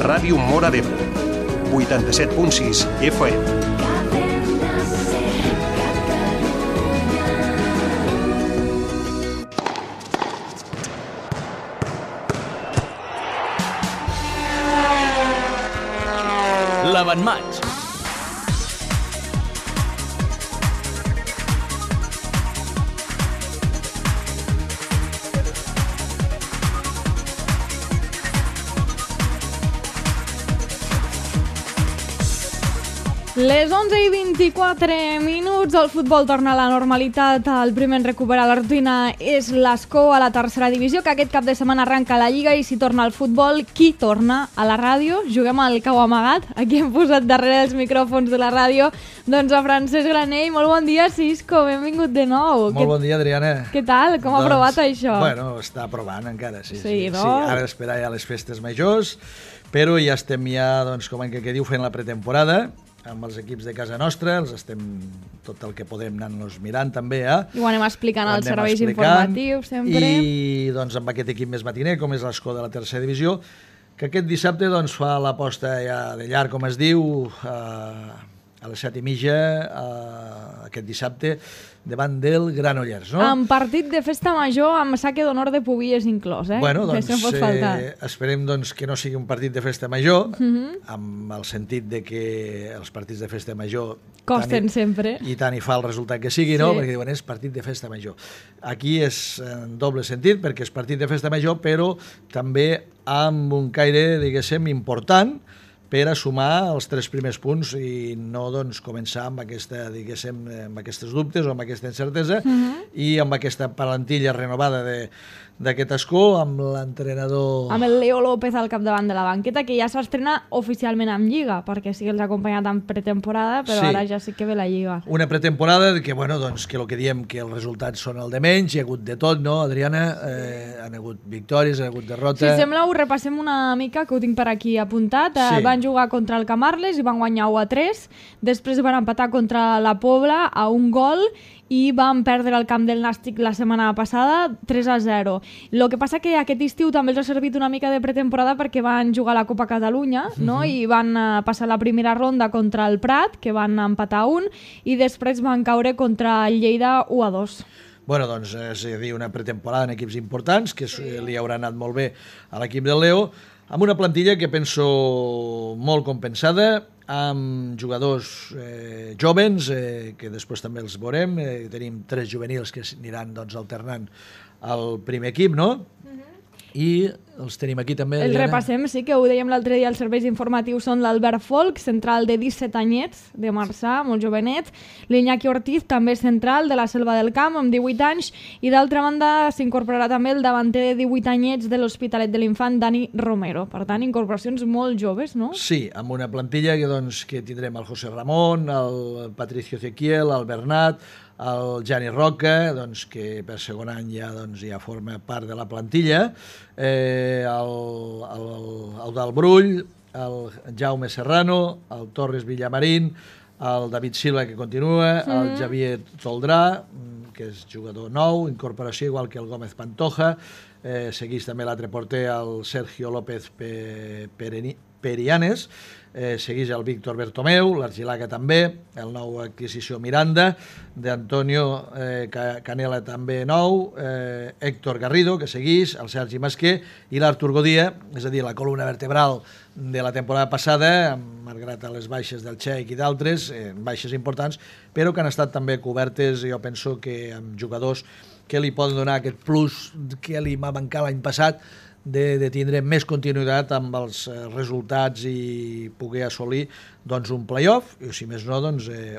Ràdio Móra d'Ebre, 87.6 FM. L'avantmatx. Les 11:24, el futbol torna a la normalitat, el primer en recuperar la rutina és l'Escó a la tercera divisió, que aquest cap de setmana arranca la Lliga i si torna al futbol, qui torna a la ràdio? Juguem al cau amagat, aquí hem posat darrere els micròfons de la ràdio, doncs a Francesc Granell. Molt bon dia, Cisco, benvingut de nou. Molt bon dia, Adriana. Què tal? Com ha provat això? Bueno, està provant encara, sí. Sí, no? Sí, ara esperar ja les festes majors, però ja estem doncs, com en què diu, fent la pretemporada, amb els equips de casa nostra, els estem tot el que podem anar-nos mirant també, I ho anem explicant als serveis informatius sempre. I doncs amb aquest equip més matiner, com és l'Escó de la tercera divisió, que aquest dissabte doncs fa l'aposta ja de llarg, com es diu, a les 7:30, aquest dissabte, davant del Granollers, no? En partit de festa major amb saque d'honor de Pubies inclòs, Bueno, doncs, que no pot faltar. Esperem doncs, que no sigui un partit de festa major, amb el sentit de que els partits de festa major costen sempre. I tant hi fa el resultat que sigui, no? Perquè diuen, és partit de festa major. Aquí és en doble sentit, perquè és partit de festa major, però també amb un caire, diguéssim, important, per a sumar els 3 primers punts i no doncs, començar amb, amb aquests dubtes o amb aquesta incertesa i amb aquesta plantilla renovada d'aquest Escó, amb l'entrenador... Amb el Leo López al capdavant de la banqueta, que ja s'estrena oficialment amb Lliga, perquè sí que els ha acompanyat en pretemporada, però ara ja sí que ve la Lliga. Una pretemporada que, doncs, que el que diem que els resultats són el de menys, hi ha hagut de tot, no, Adriana? Han hagut victòries, han hagut derrotes... Si sembla, ho repassem una mica, que ho tinc per aquí apuntat. Van jugar contra el Camarles i van guanyar 1-3, després van empatar contra la Pobla a 1 gol i van perdre el camp del Nàstic la setmana passada 3-0. El que passa que aquest estiu també els ha servit una mica de pretemporada perquè van jugar a la Copa Catalunya, no? I van passar la primera ronda contra el Prat, que van empatar 1, i després van caure contra el Lleida 1-2. Doncs és a dir, una pretemporada en equips importants, que li haurà anat molt bé a l'equip del Leo, amb una plantilla que penso molt compensada, amb jugadors jovens, que després també els veurem. Tenim 3 juvenils que aniran doncs, alternant al primer equip, no? I els tenim aquí també. El repassem, sí, que ho dèiem l'altre dia, els serveis informatius són l'Albert Folk, central de 17 anyets, de Marçà, molt jovenet, l'Iñaki Ortiz, també central, de la Selva del Camp, amb 18 anys, i d'altra banda s'incorporarà també el davanter de 18 anyets de l'Hospitalet de l'Infant, Dani Romero. Per tant, incorporacions molt joves, no? Sí, amb una plantilla que tindrem el José Ramón, el Patricio Ezequiel, el Bernat, el Jani Roca, que per segon any ja forma part de la plantilla, el Brull, el Jaume Serrano, el Torres Villamarín, el David Silva, que continua, el Javier Toldrà, que és jugador nou, incorporació igual que el Gómez Pantoja, segueix també l'altre porter, el Sergio López Perianes, segueix el Víctor Bertomeu, l'Argilaga també, el nou adquisició Miranda, d'Antonio Canela també nou, Héctor Garrido, que segueix, el Sergi Masquer i l'Artur Godia, és a dir, la columna vertebral de la temporada passada, malgrat les baixes del Txec i d'altres, baixes importants, però que han estat també cobertes, jo penso que amb jugadors que li poden donar aquest plus que li va mancar l'any passat, de tindre més continuïtat amb els resultats i poder assolir un play-off, i si més no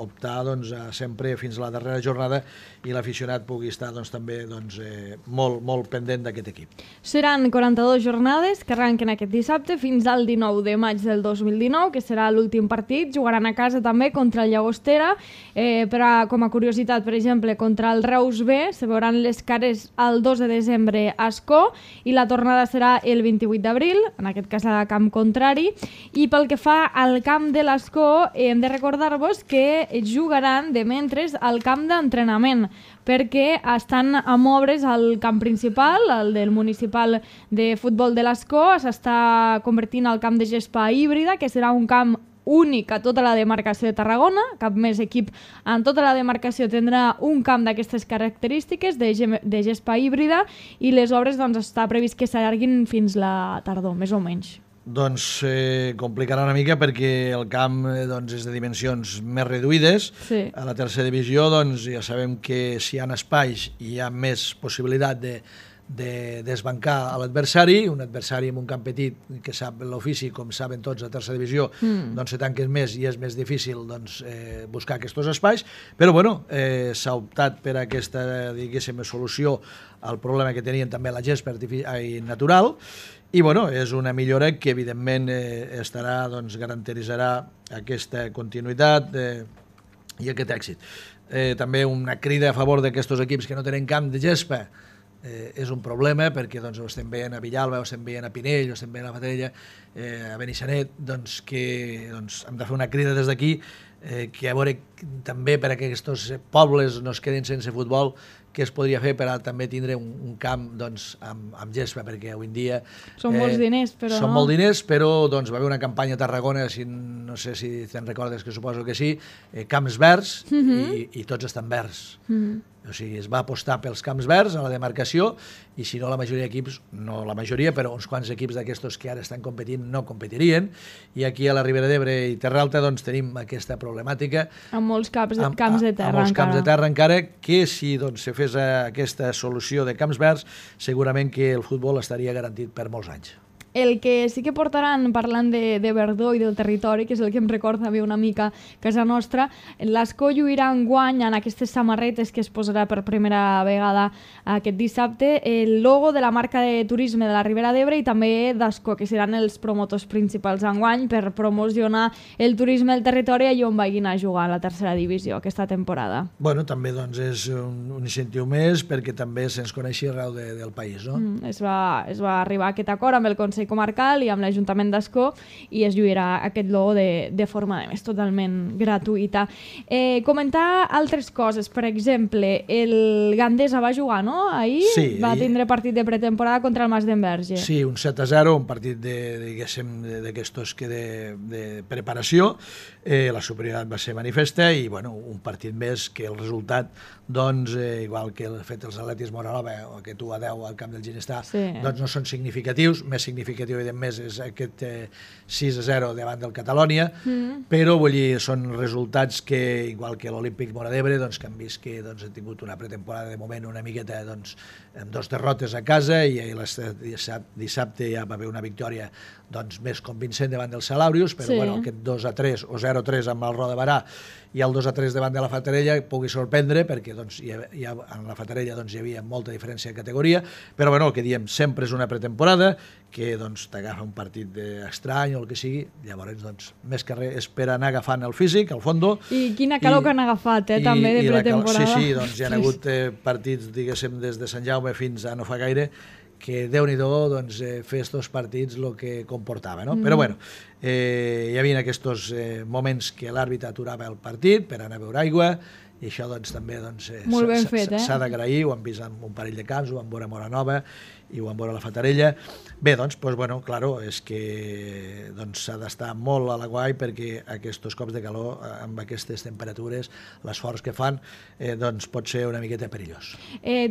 optar sempre fins a la darrera jornada i l'aficionat pugui estar també molt pendent d'aquest equip. Seran 42 jornades que arranquen aquest dissabte fins al 19 de maig del 2019, que serà l'últim partit. Jugaran a casa també contra el Llagostera, però com a curiositat, per exemple, contra el Reus B se veuran les cares el 2 de desembre a Escó i la tornada serà el 28 d'abril, en aquest cas a camp contrari, i pel que fa al camp de l'Escó, hem de recordar-vos que jugaran de mentres al camp d'entrenament, perquè estan amb obres al camp principal, el del municipal de futbol de l'Escó, s'està convertint al camp de gespa híbrida, que serà un camp únic a tota la demarcació de Tarragona. Cap més equip en tota la demarcació tindrà un camp d'aquestes característiques de gespa híbrida, i les obres està previst que s'allarguin fins la tardor, més o menys. Doncs complicarà una mica perquè el camp és de dimensions més reduïdes. Sí. A la tercera divisió ja sabem que si hi ha espais hi ha més possibilitat de desbancar a l'adversari, un adversari amb un camp petit que sap l'ofici, com saben tots a tercera divisió, doncs se tanquen més i és més difícil buscar aquests espais, però s'ha optat per aquesta, diguéssim, solució al problema que tenien també la gespa natural, i és una millora que evidentment garantitzarà aquesta continuïtat i aquest èxit. També una crida a favor d'aquests equips que no tenen camp de gespa. És un problema perquè ho estem veient a Villalba, ho estem veient a Pinell, ho estem veient a la Fatarella, a Benissanet, que hem de fer una crida des d'aquí, que a veure també per a que aquests pobles no es quedin sense futbol, què es podria fer per a també tindre un camp amb gespa, perquè avui en dia... Són molts diners, però són molts diners, però va haver una campanya a Tarragona, no sé si te'n recordes, que suposo que sí, camps verds, i tots estan verds. O sigui, es va apostar pels camps verds a la demarcació, i si no la majoria d'equips, no la majoria, però uns quants equips d'aquestos que ara estan competint no competirien, i aquí a la Ribera d'Ebre i Terra Alta tenim aquesta problemàtica. Amb molts camps de terra amb molts camps de terra encara, que si se fes aquesta solució de camps verds, segurament que el futbol estaria garantit per molts anys. El que sí que portaran, parlant de verdor i del territori, que és el que em recorda bé una mica casa nostra, l'Escó lluirà enguany en aquestes samarretes que es posarà per primera vegada aquest dissabte el logo de la marca de turisme de la Ribera d'Ebre i també d'Escó, que seran els promotors principals enguany per promocionar el turisme del territori allà on vagin a jugar a la tercera divisió aquesta temporada. També és un incentiu més perquè també se'ns coneixi arreu del país, no? Es va arribar a aquest acord amb el Consell Comarcal i amb l'Ajuntament d'Escó i es lluirà aquest logo de forma més totalment gratuïta. Comentar altres coses, per exemple, el Gandesa va jugar, no? Ahir sí, va tindre partit de pretemporada contra el Mas d'Enverge. Sí, un 7-0, un partit d'aquestos de preparació. La superioritat va ser manifesta i un partit més que el resultat, igual que el fet els Atletis Moranova o aquest 1-10 al camp del Ginestà, no són significatius. Més significatiu més és aquest 6-0 davant del Catalònia, però són resultats que, igual que l'Olímpic Móra d'Ebre, que han vist que han tingut una pretemporada de moment una miqueta amb 2 derrotes a casa, i dissabte ja va haver una victòria més convincent davant del Salàbrius, però aquest 2-3 o 0-3 amb el Roda de Barà i el 2-3 davant de la Fatarella pugui sorprendre, perquè en la Fatarella hi havia molta diferència de categoria, però el que diem, sempre és una pretemporada, que t'agafa un partit estrany o el que sigui, llavors més que res és per anar agafant el físic, al fondo. I quina calor que han agafat, també, de pretemporada. Sí, hi ha hagut partits, diguéssim, des de Sant Jaume fins a no fa gaire, que Déu-n'hi-do fer estos partits el que comportava, no? Però hi havia aquests moments que l'àrbitre aturava el partit per anar a beure aigua, i això també s'ha d'agrair. Ho han vist en un parell de camps, ho van veure a Moranova i ho van veure a la Fatarella. Bé, claro, és que s'ha d'estar molt a l'aguai perquè aquests cops de calor, amb aquestes temperatures, l'esforç que fan, pot ser una miqueta perillós.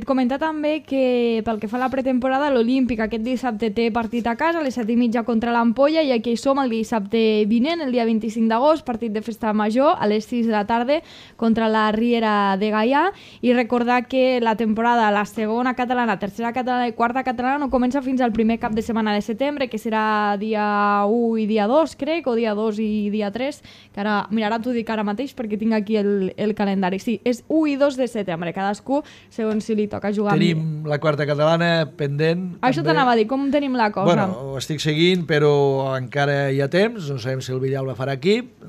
Comentar també que pel que fa a la pretemporada, l'Olímpic aquest dissabte té partit a casa a les 7:30 contra l'Ampolla, i aquí som el dissabte vinent, el dia 25 d'agost, partit de festa major a les 6 de la tarda contra la Riera de Gaià, i recordar que la temporada, la segona catalana, tercera catalana i quarta catalana no comença fins al primer cap de setmana de setembre, que serà dia 1 i dia 2, crec, o dia 2 i dia 3, que ara, mira, ara t'ho dic ara mateix perquè tinc aquí el calendari. Sí, és 1 i 2 de setembre, cadascú segons si li toca jugar. Tenim la quarta catalana pendent. Això t'anava a dir, com tenim la cosa? Ho estic seguint, però encara hi ha temps, no sabem si el Villalba farà equip,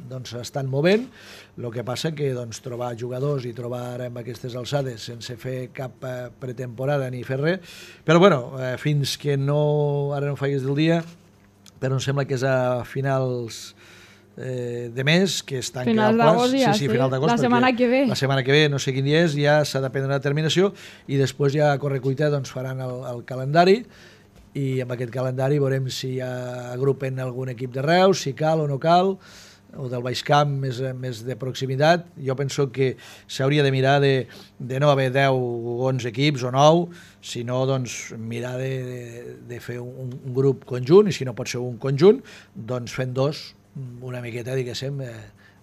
estan movent, El que passa que doncs, trobar jugadors i trobar ara amb aquestes alçades sense fer cap pretemporada ni fer res, però bueno, fins que no, ara no faigues del dia, però em sembla que és a finals de mes, que es tanca final el plaç. d'agost ja, sí, final d'agost, la setmana que ve. La setmana que ve, no sé quin dia és, ja s'ha de prendre la terminació i després ja a correcuita doncs, faran el calendari i amb aquest calendari veurem si ja agrupen algun equip de Reus, si cal o no cal, o del Baix Camp més de proximitat. Jo penso que s'hauria de mirar de no haver 10 o 11 equips o 9, sinó doncs, mirar de fer un grup conjunt, i si no pot ser un conjunt, doncs fent dos, una miqueta, diguéssim,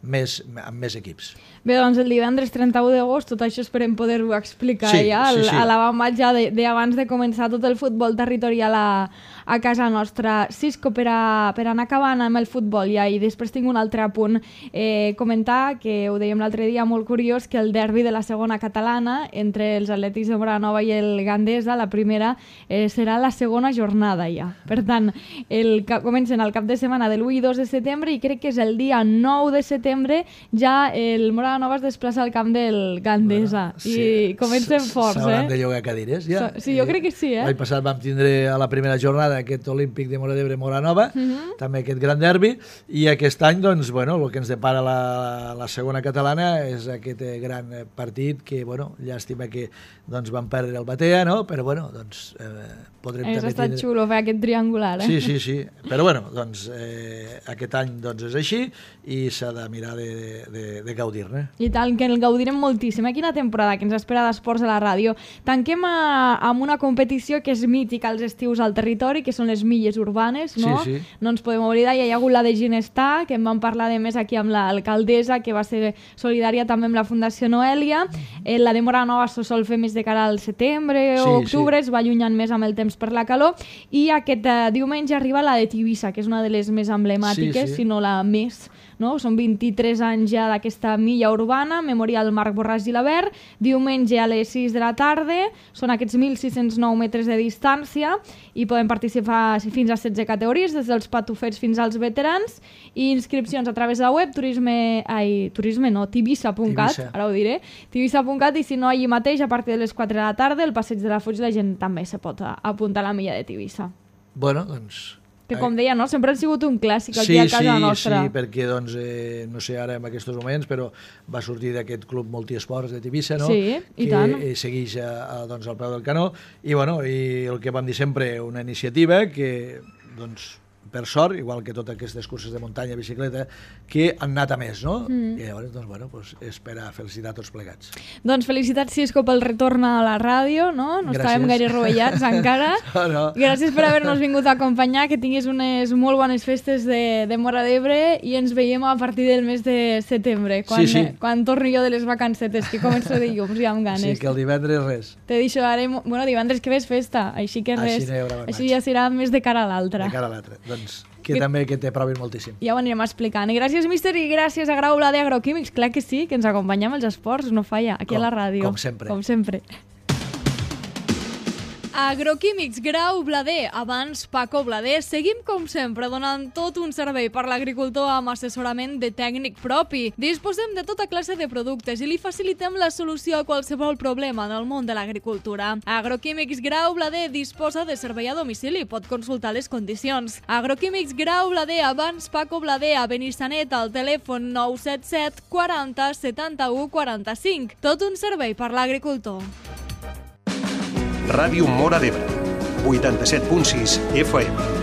amb més equips. Bé, doncs el divendres 31 d'agost, tot això esperem poder-ho explicar ja a l'avantmatx ja d'abans de començar tot el futbol territorial a casa nostra. Cisco, per anar acabant amb el futbol ja, i després tinc un altre apunt, comentar, que ho dèiem l'altre dia, molt curiós, que el derbi de la segona catalana entre els Atlètics de Móra-la-Nova i el Gandesa, la primera, serà la segona jornada ja. Per tant, comencen el cap de setmana del 1 i 2 de setembre i crec que és el dia 9 de setembre ja el Móra-la-Nova es desplaça al camp del Gandesa. Bueno, sí, i comencen forts, s'hauran de llogar cadires, ja. Sí, jo crec que sí, L'any passat vam tindre a la primera jornada aquest Olímpic de Móra d'Ebre Móra-la-Nova, també aquest gran derbi, i aquest any, doncs, bueno, el que ens depara la segona catalana és aquest gran partit que, bueno, llàstima que doncs, van perdre el Batea, no? Però, bueno, doncs, podrem també tindre... estat xulo fer aquest triangular, Sí. Però, bueno, doncs, aquest any doncs, és així i s'ha de mirar de gaudir-ne. I tant, que el gaudirem moltíssim. Quina temporada que ens espera d'esports a la ràdio. Tanquem amb una competició que és mítica als estius al territori, que són les milles urbanes, no? Sí. No ens podem oblidar. Hi ha hagut la de Ginestar, que en vam parlar de més aquí amb l'alcaldessa, que va ser solidària també amb la Fundació Noelia. La de Móra-la-Nova se sol fer més de cara al setembre o octubre, es va allunyant més amb el temps per la calor, i aquest diumenge arriba la de Tivissa, que és una de les més emblemàtiques, si no la més, no? Són 23 anys ja d'aquesta milla urbana, Memorial Marc Borràs i Labert, diumenge a les 6 de la tarda, són aquests 1.609 metres de distància i poden participar fins a 16 categories, des dels patufets fins als veterans, i inscripcions a través de la web Tivissa.cat, ara ho diré, Tivissa.cat, i si no, allí mateix, a partir de les 4 de la tarda, el passeig de la Fuig, la gent també se pot apuntar a la milla de Tivissa. Bueno, doncs... Que com deia, no? Sempre han sigut un clàssic aquí a casa nostra. Sí, perquè, doncs, no sé ara en aquests moments, però va sortir d'aquest club multiesports de Tivissa, no? Sí, i tant. Que segueix doncs, al peu del canó. I, bueno, i el que vam dir sempre, una iniciativa que, doncs, per sort, igual que totes aquestes curses de muntanya, bicicleta, que han anat a més, no? I llavors, doncs, bueno, és per a felicitar tots plegats. Doncs felicitats, Cisco, pel retorn a la ràdio, no? No estàvem gaire rovellats encara. No. Gràcies per haver-nos vingut a acompanyar, que tinguis unes molt bones festes de Móra d'Ebre i ens veiem a partir del mes de setembre, quan torni jo de les vacancetes, que començo dilluns i amb ganes. Sí, que el divendres res. Te deixo ara, bueno, divendres que ve és festa, així que res. Així ja serà més de cara a l'altre. De cara a l'altre. Doncs que també que t'aprovin moltíssim. Ja ho anirem explicant. I gràcies, míster, i gràcies a Grau Blader Agroquímics. Clar que sí, que ens acompanyem als esports, no falla, aquí a la ràdio. Com sempre. Com sempre. Agroquímics Grau Blader, abans Paco Blader. Seguim com sempre donant tot un servei per l'agricultor amb assessorament de tècnic propi. Disposem de tota classe de productes i li facilitem la solució a qualsevol problema en el món de l'agricultura. Agroquímics Grau Blader disposa de servei a domicili, pot consultar les condicions. Agroquímics Grau Blader, abans Paco Blader, a Benissanet, al telèfon 977 40 71 45. Tot un servei per l'agricultor. Ràdio Móra d'Ebre, 87.6 FM.